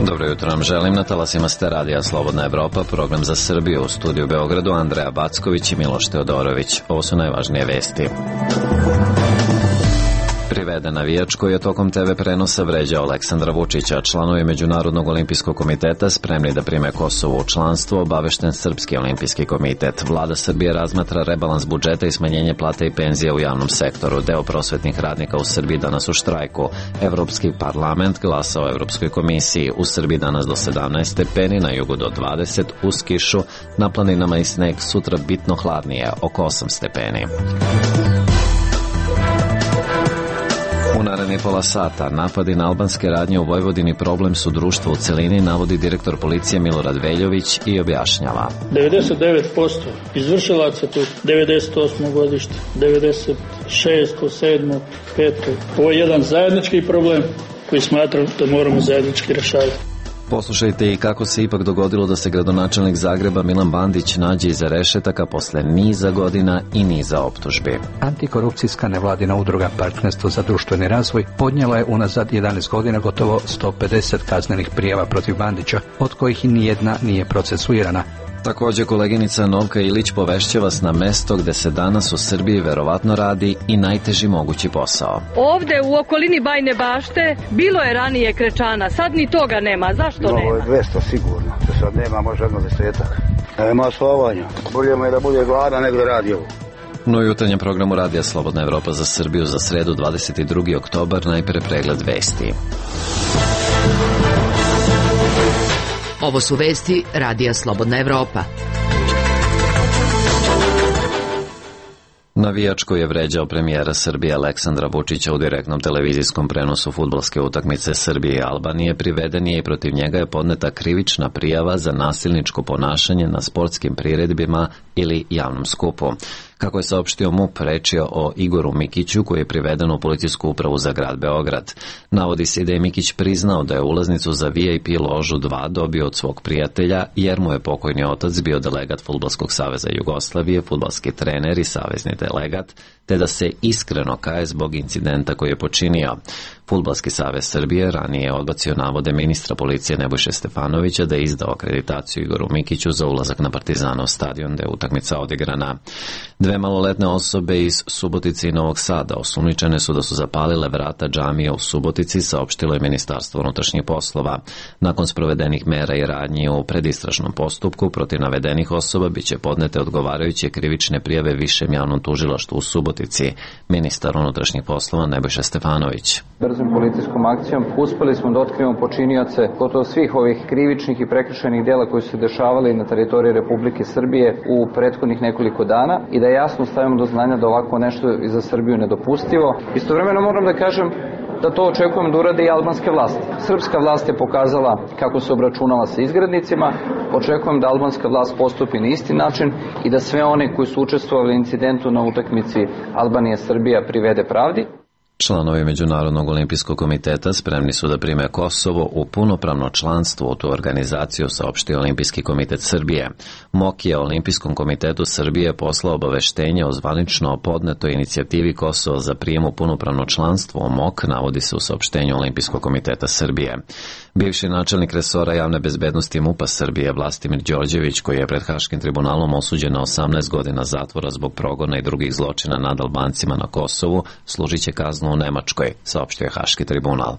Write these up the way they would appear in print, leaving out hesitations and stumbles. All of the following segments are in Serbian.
Dobro jutro nam želim, na talasima ste radija Slobodna Evropa, program za Srbiju, u studiju u Beogradu Andreja Backović i Miloš Teodorović. Ovo su najvažnije vesti. Priveden navijač koji je tokom TV prenosa vređao Aleksandra Vučića. Članovi Međunarodnog olimpijskog komiteta spremni da prime Kosovo u članstvo, obavešten Srpski olimpijski komitet. Vlada Srbije razmatra rebalans budžeta i smanjenje plata i penzija u javnom sektoru. Deo prosvetnih radnika u Srbiji danas u štrajku. Evropski parlament glasa o Evropskoj komisiji. U Srbiji danas do 17 stepeni, na jugu do 20, uz kišu, na planinama i sneg, sutra bitno hladnije, oko 8 stepeni. U narednih pola sata napadi na albanske radnje u Vojvodini problem su društva u celini, navodi direktor policije Milorad Veljović i objašnjava. 99% izvršilaca tu, 98. godište, 96. 7. 5. Ovo je jedan zajednički problem koji smatram da moramo zajednički rešavati. Poslušajte i kako se ipak dogodilo da se gradonačelnik Zagreba Milan Bandić nađe iza rešetaka posle niza godina i niza optužbi. Antikorupcijska nevladina udruga Partnerstvo za društveni razvoj podnijela je unazad 11 godina gotovo 150 kaznenih prijava protiv Bandića, od kojih i nijedna nije procesuirana. Takođe, koleginica Novka Ilić povešće vas na mesto gde se danas u Srbiji verovatno radi i najteži mogući posao. Ovde u okolini Bajne Bašte bilo je ranije krečana, sad ni toga nema. Zašto nema? Ovo je 200 sigurno, da sad nema, može jedno 10. Nema slovanja, bolje je da bude gladan nego da radi ovo. No, u jutarnjem programu Radija Slobodna Evropa za Srbiju za sredu 22. oktobar, najpre pregled vesti. Ovo su vesti Radija Slobodna Evropa. Navijač koji je vređao premijera Srbije Aleksandra Vučića u direktnom televizijskom prenosu fudbalske utakmice Srbije i Albanije priveden je i protiv njega je podneta krivična prijava za nasilničko ponašanje na sportskim priredbima ili javnom skupu. Kako je saopštio MUP, reč je o Igoru Mikiću koji je priveden u policijsku upravu za grad Beograd. Navodi se da je Mikić priznao da je ulaznicu za VIP ložu 2 dobio od svog prijatelja jer mu je pokojni otac bio delegat Fudbalskog saveza Jugoslavije, fudbalski trener i savezni delegat, te da se iskreno kaje zbog incidenta koji je počinio. Fudbalski savez Srbije ranije je odbacio navode ministra policije Nebojše Stefanovića da je izdao akreditaciju Igoru Mikiću za ulazak na Partizanov stadion da je utakmica odigrana. 2 maloletne osobe iz Subotice i Novog Sada osumnjičene su da su zapalile vrata džamije u Subotici, saopštilo je Ministarstvo unutrašnjih poslova. Nakon sprovedenih mera i radnji u predistražnom postupku protiv navedenih osoba biće podnete odgovarajuće krivične prijave Višem javnom tužilaštvu u Subotici. Ministar unutrašnjih poslova Nebojša Stefanović. Brzom policijskom akcijom uspeli smo da otkrijemo počinioce gotovo svih ovih krivičnih i prekršajnih dela koji su se dešavali na teritoriji Republike Srbije u prethodnih nekoliko dana i da jasno stavimo do znanja da ovako nešto je za Srbiju nedopustivo. Istovremeno moram da kažem da to očekujem da urade i albanske vlasti. Srpska vlast je pokazala kako se obračunala sa izgrednicima, očekujem da albanska vlast postupi na isti način i da sve one koji su učestvovali u incidentu na utakmici Albanija-Srbija privede pravdi. Članovi Međunarodnog olimpijskog komiteta spremni su da prime Kosovo u punopravno članstvo u tu organizaciju, saopštio Olimpijski komitet Srbije. MOK je Olimpijskom komitetu Srbije poslao obaveštenje o zvanično podnetoj inicijativi Kosovo za prijem u punopravno članstvo u MOK, navodi se u saopštenju Olimpijskog komiteta Srbije. Bivši načelnik resora javne bezbednosti MUP-a Srbije Vlastimir Đorđević, koji je pred Haškim tribunalom osuđen na 18 godina zatvora zbog progona i drugih zločina nad Albancima na Kosovu, služit će kaznu u Nemačkoj, saopštio je Haški tribunal.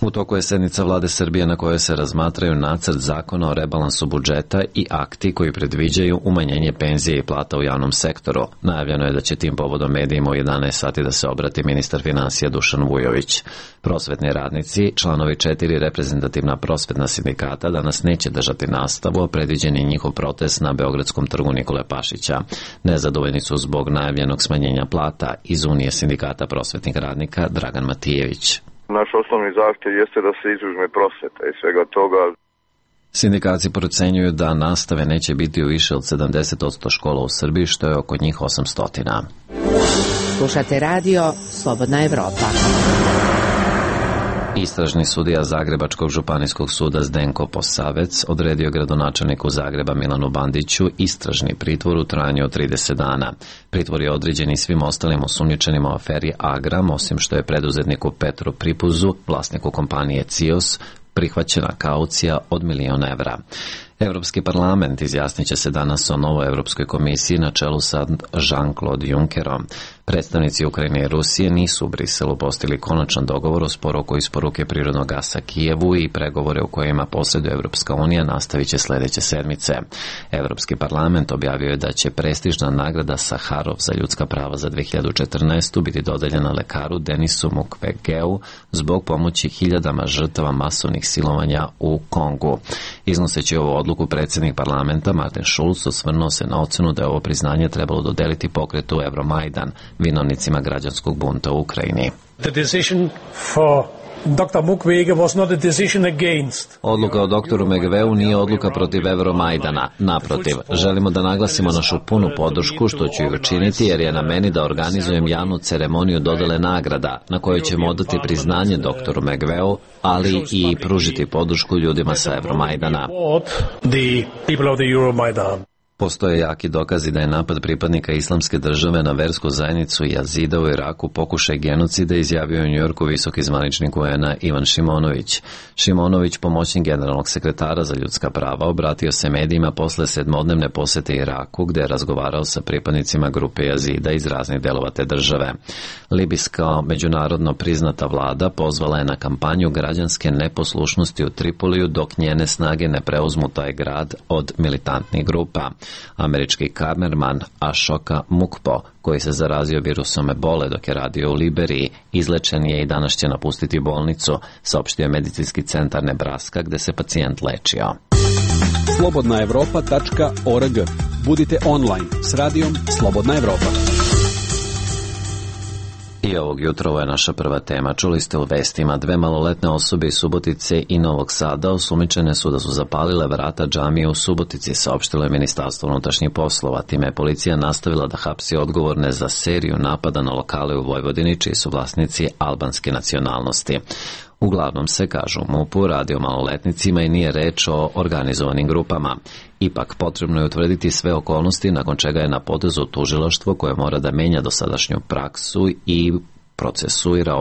U toku je sednica vlade Srbije na kojoj se razmatraju nacrt zakona o rebalansu budžeta i akti koji predviđaju umanjenje penzije i plata u javnom sektoru. Najavljeno je da će tim povodom medijima u 11 sati da se obrati ministar finansija Dušan Vujović. Prosvetni radnici, članovi 4 reprezentativna prosvetna sindikata, danas neće držati nastavu, a predviđen je njihov protest na Beogradskom trgu Nikole Pašića. Nezadovoljni su zbog najavljenog smanjenja plata. Iz Unije sindikata prosvetnih radnika Dragan Matijević. Naš osnovni zahtjev jeste da se izuzme prosveta i svega toga. Sindikati procenjuju da nastave neće biti u više od 70% škola u Srbiji, što je oko njih 800. Slušate radio Slobodna Evropa. Istražni sudija Zagrebačkog županijskog suda Zdenko Posavec odredio gradonačelniku Zagreba Milanu Bandiću istražni pritvor u trajanju od 30 dana. Pritvor je određen i svim ostalim osumnjičenima u aferi Agram, osim što je preduzetniku Petru Pripuzu, vlasniku kompanije CIOS, prihvaćena kaucija od 1.000.000 evra. Evropski parlament izjasnit će se danas o novoj Evropskoj komisiji na čelu sa Jean-Claude Junckerom. Predstavnici Ukrajine i Rusije nisu u Briselu postigli konačan dogovor o sporu oko isporuke prirodnog gasa Kijevu i pregovore u kojima posreduje Evropska unija nastavit će sljedeće sedmice. Evropski parlament objavio je da će prestižna nagrada Saharov za ljudska prava za 2014. biti dodeljena lekaru Denisu Mukwegeu zbog pomoći hiljadama žrtava masovnih silovanja u Kongu. Iznoseći ovu odluku, predsjednik parlamenta Martin Schulz osvrnuo se na ocenu da je ovo priznanje trebalo dodeliti pokretu Euromajdan, vinovnicima građanskog bunta u Ukrajini. The decision for Dr. Mukwege was not a decision against. Odluka o doktoru Mukwegeu nije odluka protiv Euromajdana. Naprotiv, želimo da naglasimo našu punu podršku, što ću i učiniti, jer je na meni da organizujem javnu ceremoniju dodele nagrada, na kojoj ćemo odati priznanje doktoru Mukwegeu, ali i pružiti podršku ljudima sa Euromajdana. Postoje jaki dokazi da je napad pripadnika Islamske države na versku zajednicu Jazida u Iraku pokušaj genocida, izjavio u Njujorku visoki zvaničnik UN-a Ivan Šimonović. Šimonović, pomoćnik generalnog sekretara za ljudska prava, obratio se medijima posle 7-dnevne posete Iraku, gde je razgovarao sa pripadnicima grupe Jazida iz raznih delova te države. Libijska međunarodno priznata vlada pozvala je na kampanju građanske neposlušnosti u Tripoliju dok njene snage ne preuzmu taj grad od militantnih grupa. Američki kamerman Ashoka Mukpo, koji se zarazio virusom ebole dok je radio u Liberiji, izlečen je i danas će napustiti bolnicu, saopštio medicinski centar Nebraska gde se pacijent lečio. slobodnaevropa.org. Budite online s radijom Slobodna Evropa. I ovog jutra ovo je naša prva tema. Čuli ste u vestima, 2 maloletne osobe iz Subotice i Novog Sada osumnjičene su da su zapalile vrata džamije u Subotici, saopštilo je Ministarstvo unutrašnjih poslova. Time je policija nastavila da hapsi odgovorne za seriju napada na lokale u Vojvodini, čiji su vlasnici albanske nacionalnosti. Uglavnom se, kažu u MUP-u, radi o maloletnicima i nije reč o organizovanim grupama. Ipak potrebno je utvrditi sve okolnosti, nakon čega je na potezu tužilaštvo koje mora da menja dosadašnju praksu i procesuira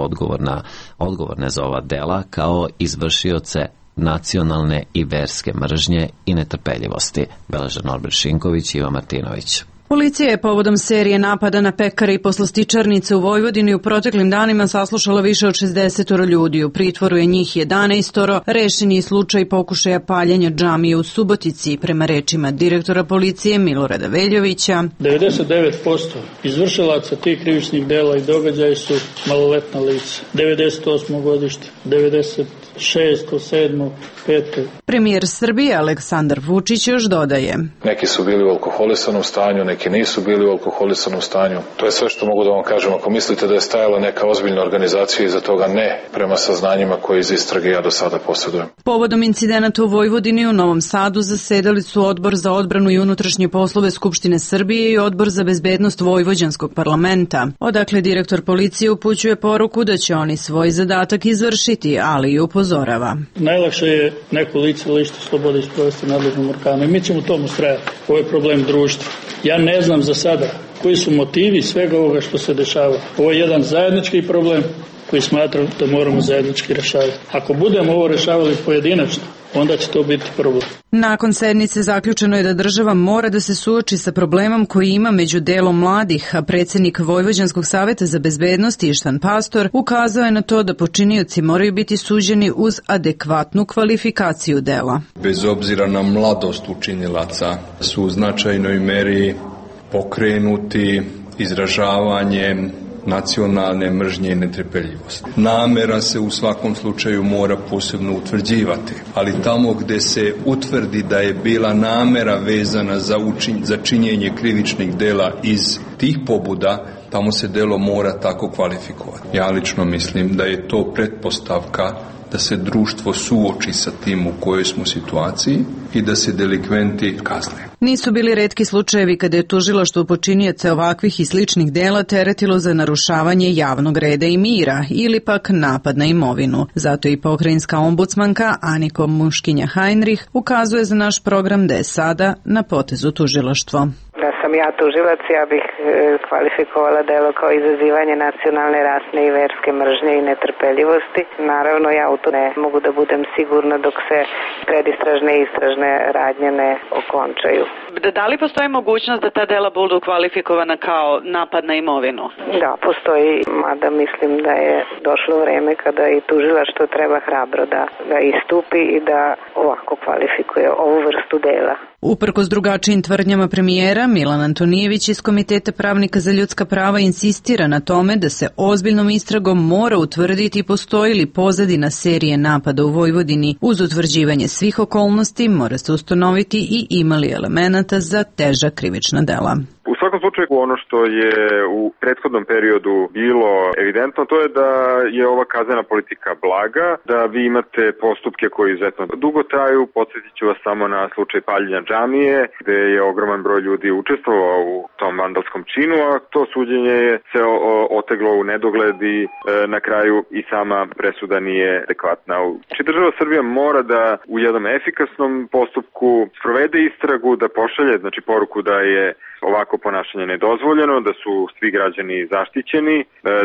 odgovorne za ova dela kao izvršioce nacionalne i verske mržnje i netrpeljivosti. Beleže Norbert Šinković i Ivan Martinović. Policija je povodom serije napada na pekare i poslastičarnice u Vojvodini u proteklim danima saslušala više od 60 ljudi. U pritvoru je njih 11. Rešen je slučaj pokušaja paljenja džamije u Subotici, prema rečima direktora policije Milorada Veljovića. 99% izvršilaca tih krivičnih dela i događaja su maloletna lica. 98. godište, 96., 7., 5. Premijer Srbije Aleksandar Vučić još dodaje: neki su bili u alkoholisanom stanju, neki nisu bili u alkoholisanom stanju. To je sve što mogu da vam kažem. Ako mislite da je stajala neka ozbiljna organizacija iza toga, ne, prema saznanjima koje iz istrage ja do sada posjedujem. Povodom incidenata u Vojvodini u Novom Sadu zasedali su Odbor za odbranu i unutrašnje poslove Skupštine Srbije i Odbor za bezbednost Vojvođanskog parlamenta. Odakle direktor policije upućuje poruku da će oni svoj zadatak izvršiti, ali i upozorava. Najlakše je neko lice lišiti slobode isprovesti nadležnom organu i mi ćemo tomu ustrajati. Ovo je problem društva. Ja ne znam za sada koji su motivi svega ovoga što se dešava. Ovo je jedan zajednički problem koji smatram da moramo zajednički rešavati. Ako budemo ovo rešavali pojedinačno, onda će to biti problem. Nakon sednice zaključeno je da država mora da se suoči sa problemom koji ima među delom mladih, a predsjednik Vojvođanskog saveta za bezbednost Ištan Pastor ukazao je na to da počinioci moraju biti suđeni uz adekvatnu kvalifikaciju dela. Bez obzira na mladost učinilaca su u značajnoj meri pokrenuti izražavanjem nacionalne mržnje i netrpeljivosti. Namera se u svakom slučaju mora posebno utvrđivati, ali tamo gde se utvrdi da je bila namera vezana za činjenje krivičnih dela iz tih pobuda, tamo se delo mora tako kvalifikovati. Ja lično mislim da je to pretpostavka da se društvo suoči sa tim u kojoj smo situaciji i da se delikventi kazne. Nisu bili retki slučajevi kada je tužilaštvo počinioce ovakvih i sličnih dela teretilo za narušavanje javnog reda i mira ili pak napad na imovinu. Zato i pokrajinska ombudsmanka Aniko Muškinja-Heinrich ukazuje za naš program da je sada na potezu tužilaštvo. Da sam ja tužilac, ja bih kvalifikovala delo kao izazivanje nacionalne, rasne i verske mržnje i netrpeljivosti. Naravno, ja u to ne mogu da budem sigurna dok se predistražne i istražne radnje ne okončaju. Da li postoji mogućnost da ta dela budu kvalifikovana kao napad na imovinu? Da, postoji, mada mislim da je došlo vreme kada i tužilaštvo treba hrabro da istupi i da ovako kvalifikuje ovu vrstu dela. Uprkos drugačijim tvrdnjama premijera, Milan Antonijević iz Komiteta pravnika za ljudska prava insistira na tome da se ozbiljnom istragom mora utvrditi postoji li pozadina serije napada u Vojvodini. Uz utvrđivanje svih okolnosti mora se ustanoviti i ima li elemenata za teža krivična dela. U svakom slučaju ono što je u prethodnom periodu bilo evidentno to je da je ova kaznena politika blaga, da vi imate postupke koji izuzetno dugo traju. Podsjetit ću vas samo na slučaj paljenja džamije gde je ogroman broj ljudi učestvovao u tom vandalskom činu, a to suđenje je se oteglo u nedogled i na kraju i sama presuda nije adekvatna. Znači država Srbija mora da u jednom efikasnom postupku sprovede istragu, da pošalje poruku da je ovako ponašanje nedozvoljeno, da su svi građani zaštićeni,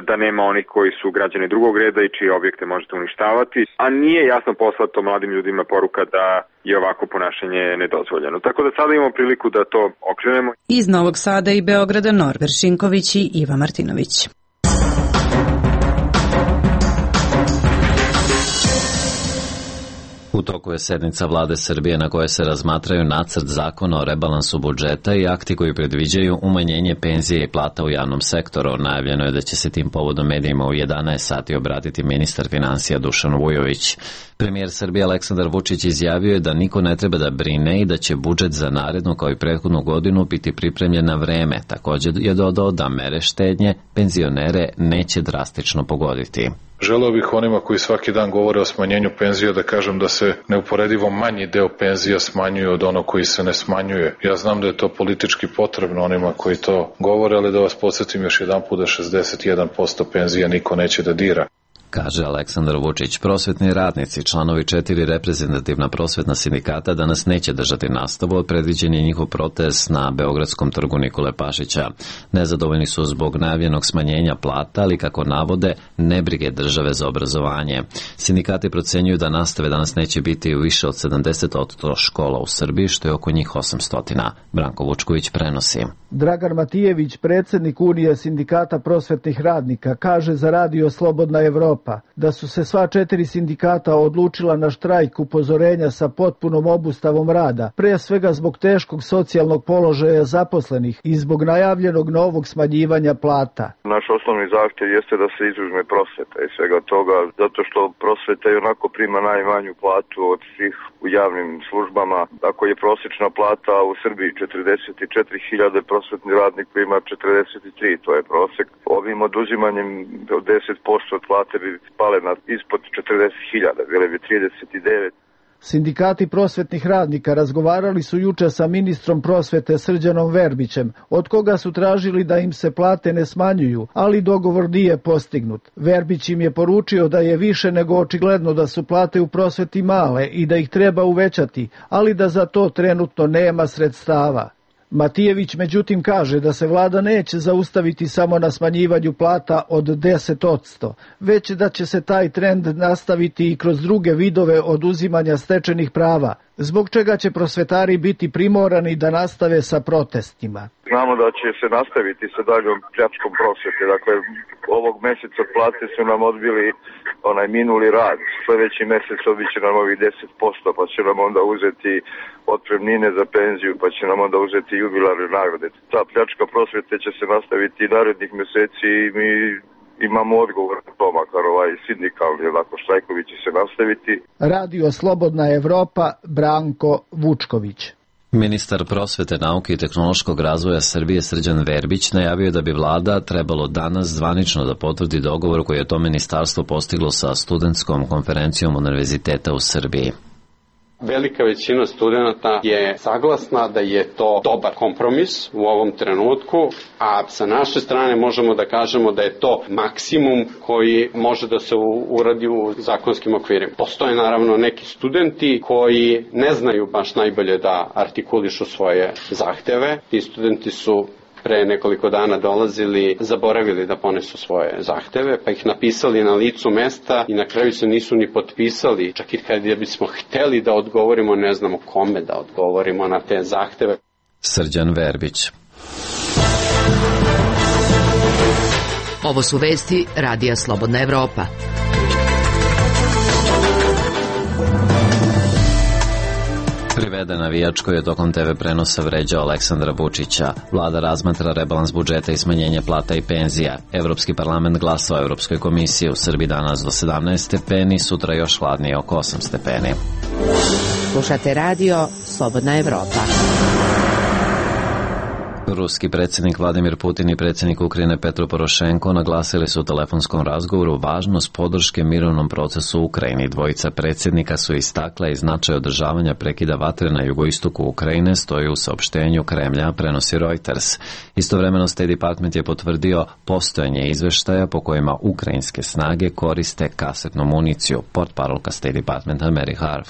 da nema onih koji su građani drugog reda i čije objekte možete uništavati, a nije jasno poslato mladim ljudima poruka da je ovako ponašanje nedozvoljeno. Tako da sada imamo priliku da to okrenemo. Iz Novog Sada i Beograda Norber Šinković i Iva Martinović. U toku je sednica Vlade Srbije na kojoj se razmatraju nacrt zakona o rebalansu budžeta i akti koji predviđaju umanjenje penzije i plata u javnom sektoru. Najavljeno je da će se tim povodom medijima u 11 sati obratiti ministar finansija Dušan Vujović. Premijer Srbije Aleksandar Vučić izjavio je da niko ne treba da brine i da će budžet za narednu kao i prethodnu godinu biti pripremljen na vreme. Također je dodao da mere štednje penzionere neće drastično pogoditi. Želeo bih onima koji svaki dan govore o smanjenju penzija da kažem da se neuporedivo manji deo penzija smanjuje od onog koji se ne smanjuje. Ja znam da je to politički potrebno onima koji to govore, ali da vas podsjetim još jedan put da 61% penzija niko neće da dira. Kaže Aleksandar Vučić. Prosvetni radnici, članovi 4 reprezentativna prosvetna sindikata danas neće držati nastavu, a predviđen je njihov protest na Beogradskom trgu Nikole Pašića. Nezadovoljni su zbog najavljenog smanjenja plata, ali kako navode, nebrige države za obrazovanje. Sindikati procenjuju da nastave danas neće biti u više od 70% škola u Srbiji, što je oko njih 800. Branko Vučković prenosi. Dragan Matijević, predsjednik Unije sindikata prosvetnih radnika, kaže za Radio Slobodna Evropa da su se sva 4 sindikata odlučila na štrajk upozorenja sa potpunom obustavom rada, pre svega zbog teškog socijalnog položaja zaposlenih i zbog najavljenog novog smanjivanja plata. Naš osnovni zahtjev jeste da se izuzme prosveta i svega toga, zato što prosveta i onako prima najmanju platu od svih u javnim službama. Ako je prosječna plata u Srbiji 44.000, prosvetni radnik prima 43, to je prosjek. Ovim oduzimanjem od 10% od plate bi spale na ispod 40.000, bile bi 39. Sindikati prosvetnih radnika razgovarali su juče sa ministrom prosvete Srđanom Verbićem, od koga su tražili da im se plate ne smanjuju, ali dogovor nije postignut. Verbić im je poručio da je više nego očigledno da su plate u prosveti male i da ih treba uvećati, ali da za to trenutno nema sredstava. Matijević međutim kaže da se vlada neće zaustaviti samo na smanjivanju plata od 10%, već da će se taj trend nastaviti i kroz druge vidove oduzimanja stečenih prava, zbog čega će prosvetari biti primorani da nastave sa protestima. Znamo da će se nastaviti sa daljom pljačkom prosvete. Dakle, ovog mjeseca plate su nam odbili minuli rad. Sljedeći mjesec odbit će nam ovih 10%, pa će nam onda uzeti otpremnine za penziju, pa će nam onda uzeti jubilarne nagrade. Ta pljačka prosvete će se nastaviti i narednih mjeseci i mi imamo odgovor na to, makar sindikalni štrajkovi će se nastaviti. Radio Slobodna Evropa, Branko Vučković. Ministar prosvete, nauke i tehnološkog razvoja Srbije Srđan Verbić najavio da bi vlada trebalo danas zvanično da potvrdi dogovor koji je to ministarstvo postiglo sa studentskom konferencijom Univerziteta u Srbiji. Velika većina studenta je saglasna da je to dobar kompromis u ovom trenutku, a sa naše strane možemo da kažemo da je to maksimum koji može da se uradi u zakonskim okvirima. Postoje naravno neki studenti koji ne znaju baš najbolje da artikulišu svoje zahteve. Ti studenti su pre nekoliko dana dolazili, zaboravili da ponesu svoje zahteve, pa ih napisali na licu mesta i na kraju se nisu ni potpisali. Čak i kad bismo hteli da odgovorimo, ne znamo kome da odgovorimo na te zahteve. Srđan Verbić. Ovo su vesti Radija Slobodna Evropa. Priveden navijač koji je tokom TV prenosa vređao Aleksandra Vučića. Vlada razmatra rebalans budžeta i smanjenje plata i penzija. Evropski parlament glasa o Evropskoj komisiji. U Srbiji danas do 17 stepeni, sutra još hladnije oko 8 stepeni. Slušate radio Slobodna Evropa. Ruski predsjednik Vladimir Putin i predsjednik Ukrajine Petro Porošenko naglasili su u telefonskom razgovoru važnost podrške mirovnom procesu u Ukrajini. Dvojica predsjednika su istakla i značaj održavanja prekida vatre na jugoistoku Ukrajine, stoji u saopštenju Kremlja, prenosi Reuters. Istovremeno State Department je potvrdio postojanje izveštaja po kojima ukrajinske snage koriste kasetnu municiju. Portparolka State Departmenta Mary Harf.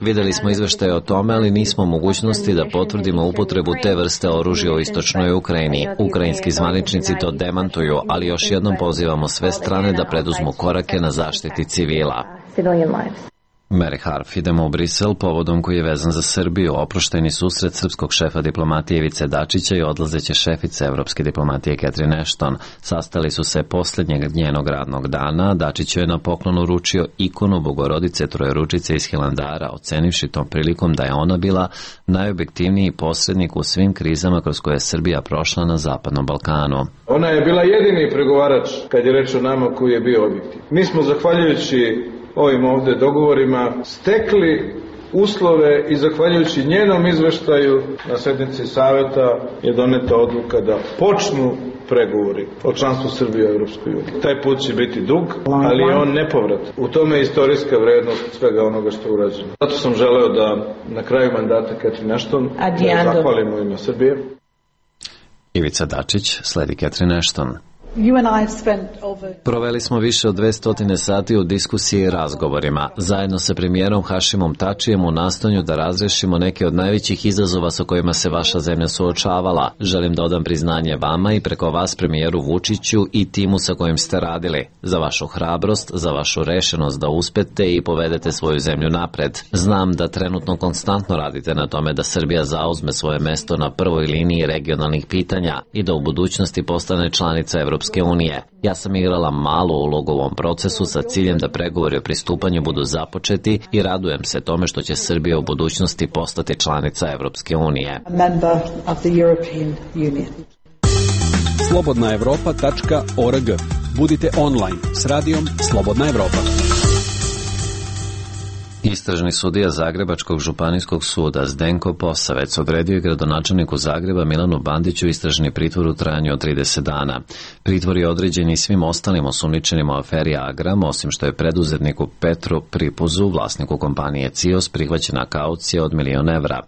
Videli smo izveštaje o tome, ali nismo u mogućnosti da potvrdimo upotrebu te vrste oružja u istočnoj Ukrajini. Ukrajinski zvaničnici to demantuju, ali još jednom pozivamo sve strane da preduzmu korake na zaštiti civila. Mary Harf, idemo u Brisel povodom koji je vezan za Srbiju. Oprošteni susret srpskog šefa diplomatije Ivice Dačića i odlazeće šefice evropske diplomatije Catherine Ashton. Sastali su se posljednjeg njenog radnog dana. Dačić je na poklon uručio ikonu Bogorodice Trojeručice iz Hilandara, ocenivši tom prilikom da je ona bila najobjektivniji posrednik u svim krizama kroz koje je Srbija prošla na Zapadnom Balkanu. Ona je bila jedini pregovarač kad je reč o nama koji je bio objektiv. Mi smo zahvaljujući ovim ovde dogovorima stekli uslove i zahvaljujući njenom izveštaju na sednici saveta je doneta odluka da počnu pregovori o članstvu Srbije u Evropskoj uniji. Taj put će biti dug, ali je on nepovrat. U tome je istorijska vrednost svega onoga što je urađeno. Zato sam želeo da na kraju mandata Catherine Ashton zahvalim u ime Srbije. Ivica Dačić, sledi Catherine Ashton. Proveli smo više od 200 sati u diskusiji i razgovorima, zajedno sa premijerom Hašimom Tačijem u nastojanju da razrešimo neke od najvećih izazova sa kojima se vaša zemlja suočavala. Želim da odam priznanje vama i preko vas premijeru Vučiću i timu sa kojim ste radili, za vašu hrabrost, za vašu rešenost da uspete i povedete svoju zemlju napred. Znam da trenutno konstantno radite na tome da Srbija zauzme svoje mesto na prvoj liniji regionalnih pitanja i da u budućnosti postane članica Evropske unije. Ja sam igrala malu ulogu u ovom procesu sa ciljem da pregovori o pristupanju budu započeti i radujem se tome što će Srbija u budućnosti postati članica Evropske unije. slobodnaevropa.org. Budite online s radijom Slobodna Evropa. Istražni sudija Zagrebačkog županijskog suda Zdenko Posavec odredio je gradonačelniku Zagreba Milanu Bandiću istražni pritvor u trajanju od 30 dana. Pritvor je određen i svim ostalim osumnjičenima u aferi Agram, osim što je preduzetniku Petru Pripuzu, vlasniku kompanije CIOS, prihvaćena kaucija od 1 milion evra.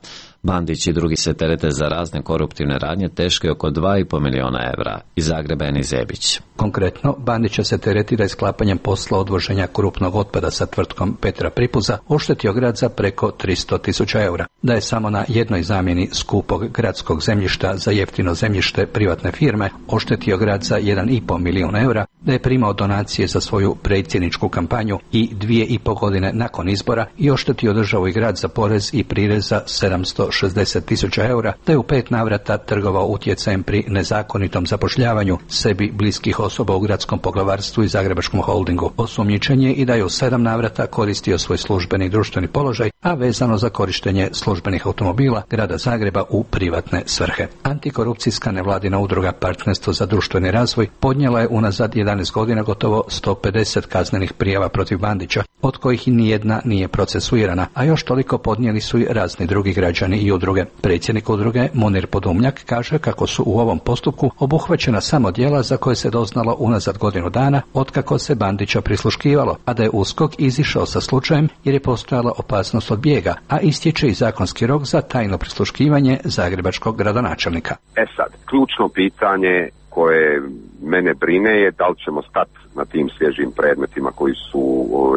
Bandić i drugi se terete za razne koruptivne radnje teške oko 2,5 miliona evra. Iz Zagreba Eni Zebić. Konkretno, Bandića se teretira isklapanjem posla odvoženja krupnog otpada sa tvrtkom Petra Pripuza oštetio grad za preko 300.000 eura. Da je samo na jednoj zamjeni skupog gradskog zemljišta za jeftino zemljište privatne firme oštetio grad za 1,5 milion eura, da je primao donacije za svoju predsjedničku kampanju i 2,5 godine nakon izbora i oštetio državu i grad za porez i prirez za 760.000 eura, da je u 5 navrata trgovao utjecajem pri nezakonitom zapošljavanju sebi bliskih osoba u gradskom poglavarstvu i Zagrebačkom holdingu. Osumnjičen je i da je u 7 navrata koristio svoj službeni društveni položaj a vezano za korištenje službenih automobila grada Zagreba u privatne svrhe. Antikorupcijska nevladina udruga Partnerstvo za društveni razvoj podnijela je unazad 11 godina gotovo 150 kaznenih prijava protiv Bandića, od kojih nijedna nije procesuirana, a još toliko podnijeli su i razni drugi građani i udruge. Predsjednik udruge Munir Podumnjak kaže kako su u ovom postupku obuhvaćena samo djela za koje se doznalo unazad godinu dana otkako se Bandića prisluškivalo, a da je USKOK izišao sa slučajem jer je postojala opasnost od bijega, a istječe i zakonski rok za tajno prisluškivanje zagrebačkog gradonačelnika. Sad, ključno pitanje koje mene brine je da li ćemo stati na tim svježim predmetima koji su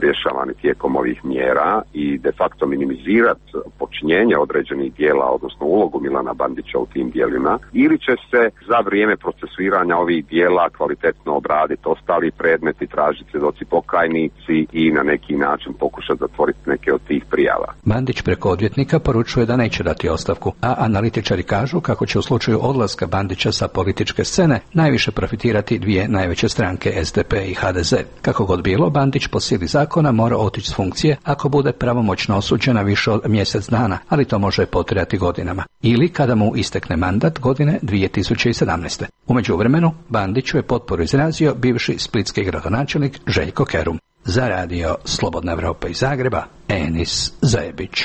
rješavani tijekom ovih mjera i de facto minimizirati počinjenje određenih dijela, odnosno ulogu Milana Bandića u tim dijelima, ili će se za vrijeme procesuiranja ovih dijela kvalitetno obraditi ostali predmeti, tražiti svjedoci pokajnici i na neki način pokušati zatvoriti neke od tih prijava. Bandić preko odvjetnika poručuje da neće dati ostavku, a analitičari kažu kako će u slučaju odlaska Bandića sa političke scene najviše profitirati dvije najveće stranke, SDP i HDZ. Kako god bilo, Bandić po sili zakona mora otići s funkcije ako bude pravomoćno osuđena više od mjesec dana, ali to može potrajati godinama. Ili kada mu istekne mandat godine 2017. U međuvremenu, Bandiću je potporu izrazio bivši splitski gradonačelnik Željko Kerum. Za radio Slobodna Evropa iz Zagreba, Enis Zajebić.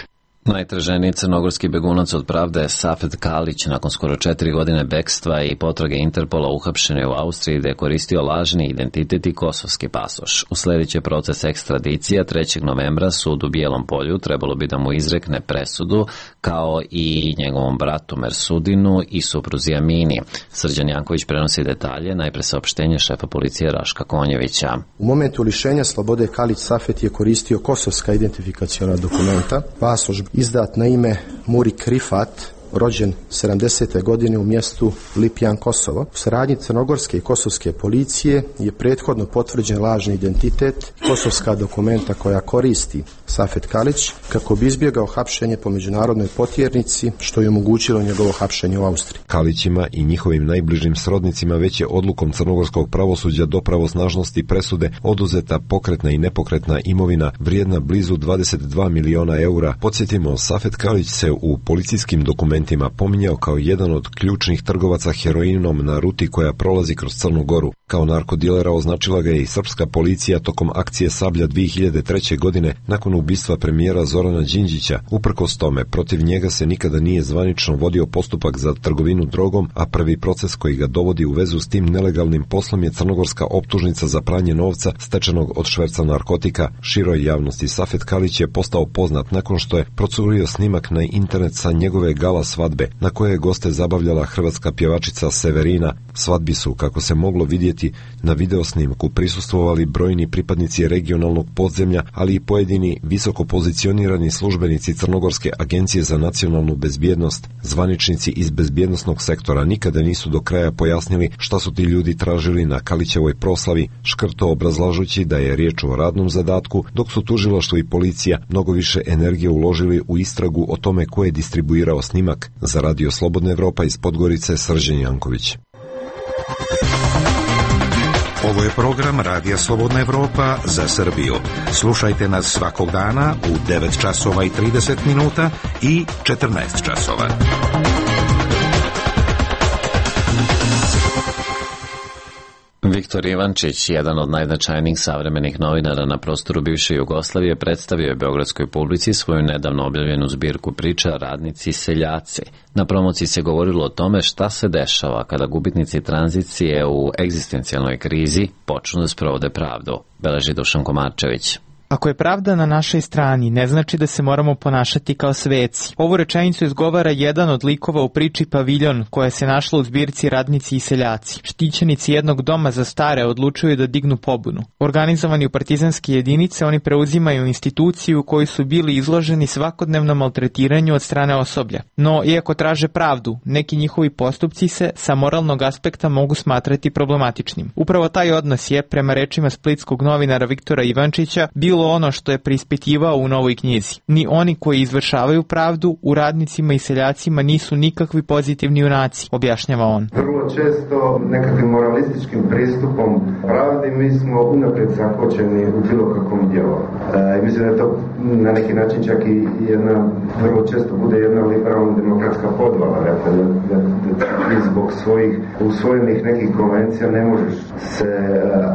Najtraženiji crnogorski begunac od pravde je Safet Kalić. Nakon skoro 4 godine bekstva i potrage Interpola uhapšen je u Austriji da je koristio lažni identitet i kosovski pasoš. Usledit će proces ekstradicija 3. novembra. Sud u Bijelom Polju trebalo bi da mu izrekne presudu, kao i njegovom bratu Mersudinu i supruzi Amini. Srđan Janković prenosi detalje, najpre saopštenje šefa policije Raška Konjevića. U momentu lišenja slobode Kalić Safet je koristio kosovska identifikaciona dokumenta, pasoš izdat na ime Murik Rifat, rođen 70. godine u mjestu Lipjan, Kosovo. U saradnji crnogorske i kosovske policije je prethodno potvrđen lažni identitet i kosovska dokumenta koja koristi Safet Kalić kako bi izbjegao hapšenje po međunarodnoj potjernici, što je omogućilo njegovo hapšenje u Austriji. Kalićima i njihovim najbližim srodnicima već je odlukom crnogorskog pravosuđa do pravosnažnosti presude oduzeta pokretna i nepokretna imovina vrijedna blizu 22 miliona eura. Podsjetimo, Safet Kalić se u policijskim dokumentima pominjao kao jedan od ključnih trgovaca heroinom na ruti koja prolazi kroz Crnu Goru. Kao narkodilera označila ga je i srpska policija tokom akcije Sablja 2003. godine nakon ubistva premijera Zorana Đinđića. Uprkos tome, protiv njega se nikada nije zvanično vodio postupak za trgovinu drogom, a prvi proces koji ga dovodi u vezu s tim nelegalnim poslom je crnogorska optužnica za pranje novca stečenog od šverca narkotika. Široj javnosti Safet Kalić je postao poznat nakon što je procurio snimak na internet sa njegove gala svadbe, na koje je goste zabavljala hrvatska pjevačica Severina. Svadbi su, kako se moglo vidjeti na videosnimku, prisustvovali brojni pripadnici regionalnog podzemlja, ali i pojedini visoko pozicionirani službenici Crnogorske agencije za nacionalnu bezbjednost. Zvaničnici iz bezbjednosnog sektora nikada nisu do kraja pojasnili šta su ti ljudi tražili na Kalićevoj proslavi, škrto obrazlažući da je riječ o radnom zadatku, dok su tužilaštvo i policija mnogo više energije uložili u istragu o tome ko je distribuirao snimak. Za radio Slobodna Evropa iz Podgorice, Srđan Janković. Ovo je program Radija Slobodna Evropa za Srbiju. Slušajte nas svakog dana u 9 časova i 30 minuta i 14 časova. Viktor Ivančić, jedan od najznačajnijih savremenih novinara na prostoru bivše Jugoslavije, predstavio je beogradskoj publici svoju nedavno objavljenu zbirku priča Radnici i seljaci. Na promociji se govorilo o tome šta se dešava kada gubitnici tranzicije u egzistencijalnoj krizi počnu da sprovode pravdu, beleži Dušan Komarčević. Ako je pravda na našoj strani, ne znači da se moramo ponašati kao sveci. Ovu rečenicu izgovara jedan od likova u priči Paviljon, koja se našla u zbirci Radnici i seljaci. Štićenici jednog doma za stare odlučuju da dignu pobunu. Organizovani u partizanske jedinice, oni preuzimaju instituciju u kojoj su bili izloženi svakodnevnom maltretiranju od strane osoblja. No, iako traže pravdu, neki njihovi postupci se sa moralnog aspekta mogu smatrati problematičnim. Upravo taj odnos je, prema rečima splitskog novinara Viktora Ivančića, bilo bilo ono što je preispitivao u novoj knjizi. Ni oni koji izvršavaju pravdu u radnicima i seljacima nisu nikakvi pozitivni junaci, objašnjava on. Vrlo često nekakvim moralističkim pristupom pravdi mi smo unaprijed zakočeni u bilo kakvom dijelu. Mislim da je to na neki način čak i jedna, vrlo često bude jedna liberalna demokratska podvala, dakle, da zbog svojih usvojenih nekih konvencija ne možeš se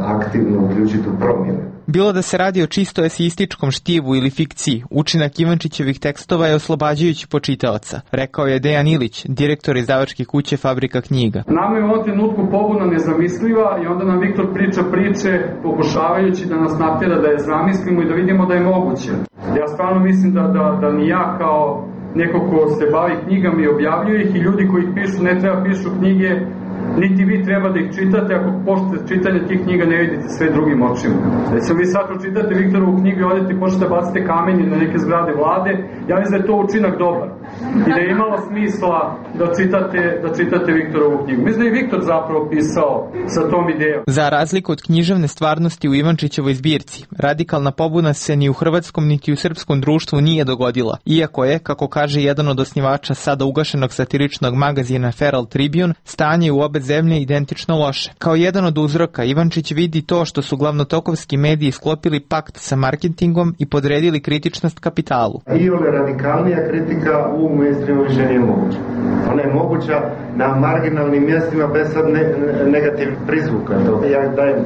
aktivno uključiti u promjene. Bilo da se radi o čisto eseističkom štivu ili fikciji, učinak Ivančićevih tekstova je oslobađajući po čitaoca, rekao je Dejan Ilić, direktor izdavačke kuće Fabrika knjiga. Nama je u ovom trenutku pobuna nezamisliva i onda nam Viktor priča priče pokušavajući da nas natjera da je zamislimo i da vidimo da je moguće. Ja stvarno mislim da ni ja kao neko ko se bavi knjigama i objavljuje ih i ljudi koji ih pišu ne treba pišu knjige, niti vi treba da ih čitate, ako počnete čitanje tih knjiga ne vidite sve drugim očima. Recimo vi sad pročitate Viktorovu knjigu i odete i počnete bacite kamenje na neke zgrade vlade, ja mislim da je to učinak dobar i da je imalo smisla da čitate Viktorovu knjigu. Mislim da je Viktor zapravo pisao sa tom idejom. Za razliku od književne stvarnosti u Ivančićevoj zbirci, radikalna pobuna se ni u hrvatskom niti u srpskom društvu nije dogodila, iako je, kako kaže jedan od osnivača sada ugašenog satiričnog magazina Feral Tribune, stanje u obe zemlje identično loše. Kao jedan od uzroka, Ivančić vidi to što su glavnotokovski mediji sklopili pakt sa marketingom i podredili kritičnost kapitalu. I ove radikalnija kritika u mainstreamu više nije moguća. Ona je moguća na marginalnim mjestima bez sad negativnih prizvuka. Ja dajem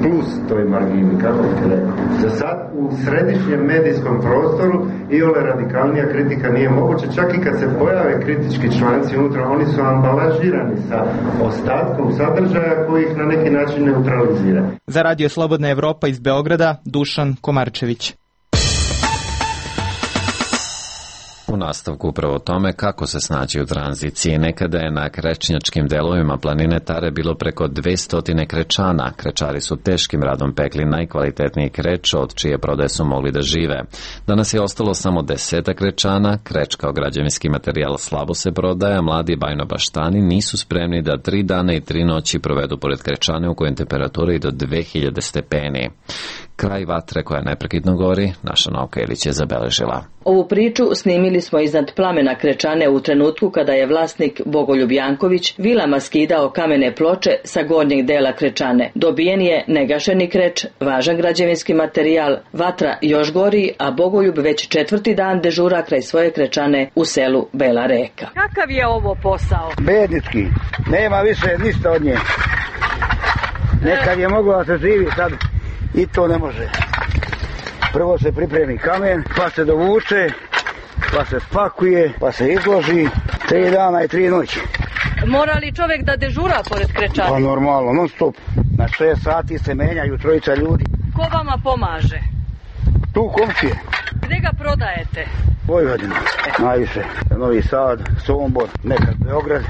plus toj margini, kako bih rekao. Za sad u središnjem medijskom prostoru i ove radikalnija kritika nije moguća. Čak i kad se pojave kritički članci unutra, oni su ambalažirani sa ostatkom sadržaja koji ih na neki način neutralizira. Za Radio Slobodna Evropa iz Beograda, Dušan Komarčević. U nastavku upravo tome kako se snaći u tranziciji. Nekada je na krečnjačkim delovima planine Tare bilo preko 200 krečana. Krečari su teškim radom pekli najkvalitetniji kreč od čije prodaje su mogli da žive. Danas je ostalo samo 10 krečana. Kreč kao građevinski materijal slabo se prodaje, a mladi bajnobaštani nisu spremni da 3 dana i 3 noći provedu pored krečane u kojem temperatura i do 2000 stepeni. Kraj vatre koja neprekidno gori, naša Novka Ilić je zabeležila. Ovu priču snimili smo iznad plamena krečane u trenutku kada je vlasnik Bogoljub Janković vilama skidao kamene ploče sa gornjeg dela krečane. Dobijen je negašeni kreč, važan građevinski materijal, vatra još gori, a Bogoljub već 4. dan dežura kraj svoje krečane u selu Bela Reka. Kakav je ovo posao? Bednički, nema više ništa od nje. Nekad je moglo da se živi, sad i to ne može. Prvo se pripremi kamen, pa se dovuče, pa se spakuje, pa se izloži 3 dana i 3 noći. Mora li čovjek da dežura pored krečane? Pa normalno, non stop. Na 6 sati se menjaju 3 ljudi. Ko vama pomaže? Tu komšije. Gde ga prodajete? Vojvodina, najviše. Novi Sad, Sombor, nekad Beograd.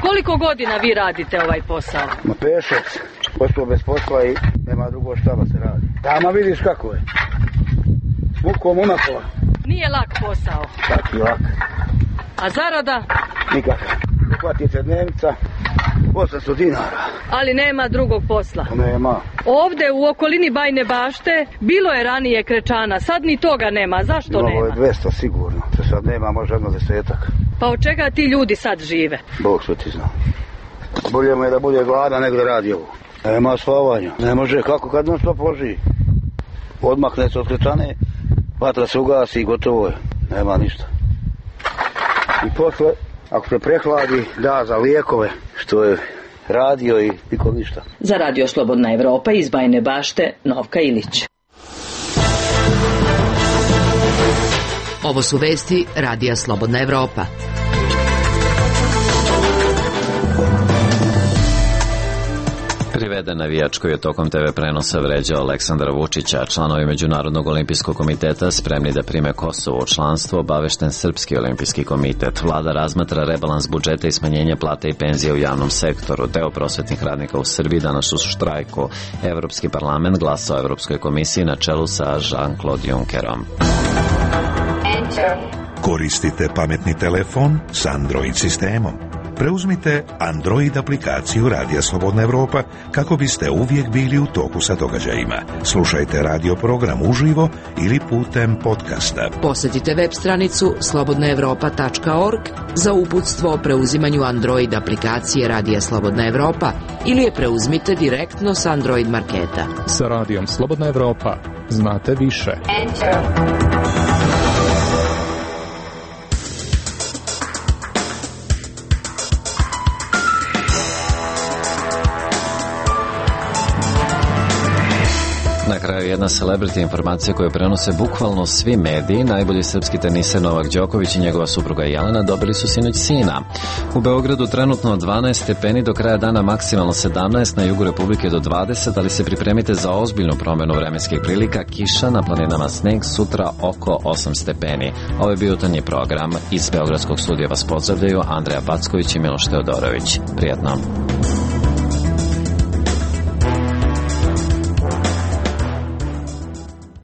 Koliko godina vi radite ovaj posao? Ma 5-6. Ostao bez posla i nema drugo šta da se radi. Tamo vidiš kako je. Mukom unapola. Nije lak posao. Taki lak. A zarada? Nikakva. Uhvati se dnevnica, 800 dinara. Ali nema drugog posla. Nema. Ovde u okolini Bajne Bašte bilo je ranije krečana, sad ni toga nema. Zašto nema? Ovo je 200 sigurno. Se sad nema, može jedno 10-ak. Pa od čega ti ljudi sad žive? Bog što ti zna. Bolje mu je da bude gladan nego da radi ovo. Nema spavanja. Ne može kako kad non stop loži. Odmakne se od krečane, vatra se ugasi i gotovo je. Nema ništa. I posle, ako se prehladi, da za lijekove, što je radio i nikom ništa. Za Radio Slobodna Evropa iz Bajne Bašte, Novka Ilić. Ovo su vesti Radija Slobodna Evropa. Priveden navijač koji je tokom TV prenosa vređao Aleksandra Vučića. Članovi Međunarodnog olimpijskog komiteta spremni da prime Kosovo u članstvo, obavešten Srpski olimpijski komitet. Vlada razmatra rebalans budžeta i smanjenje plate i penzije u javnom sektoru. Deo prosvetnih radnika u Srbiji danas u štrajku. Evropski parlament glasa o Evropskoj komisiji na čelu sa Jean-Claude Junckerom. Koristite pametni telefon s Android sistemom. Preuzmite Android aplikaciju Radija Slobodna Evropa kako biste uvijek bili u toku sa događajima. Slušajte radio program uživo ili putem podcasta. Posjetite web stranicu slobodnaevropa.org za uputstvo o preuzimanju Android aplikacije Radija Slobodna Evropa ili je preuzmite direktno s Android marketa. Sa Radijom Slobodna Evropa znate više. Na kraju jedna celebrity informacija koju prenose bukvalno svi mediji. Najbolji srpski teniser Novak Đoković i njegova supruga Jelena dobili su sinoć sina. U Beogradu trenutno 12 stepeni, do kraja dana maksimalno 17, na jugu Republike do 20, ali se pripremite za ozbiljnu promjenu vremenskih prilika. Kiša, na planinama sneg, sutra oko 8 stepeni. Ovo je bio jutarnji program. Iz Beogradskog studija vas pozdravljaju Andreja Backović i Miloš Teodorović. Prijetno.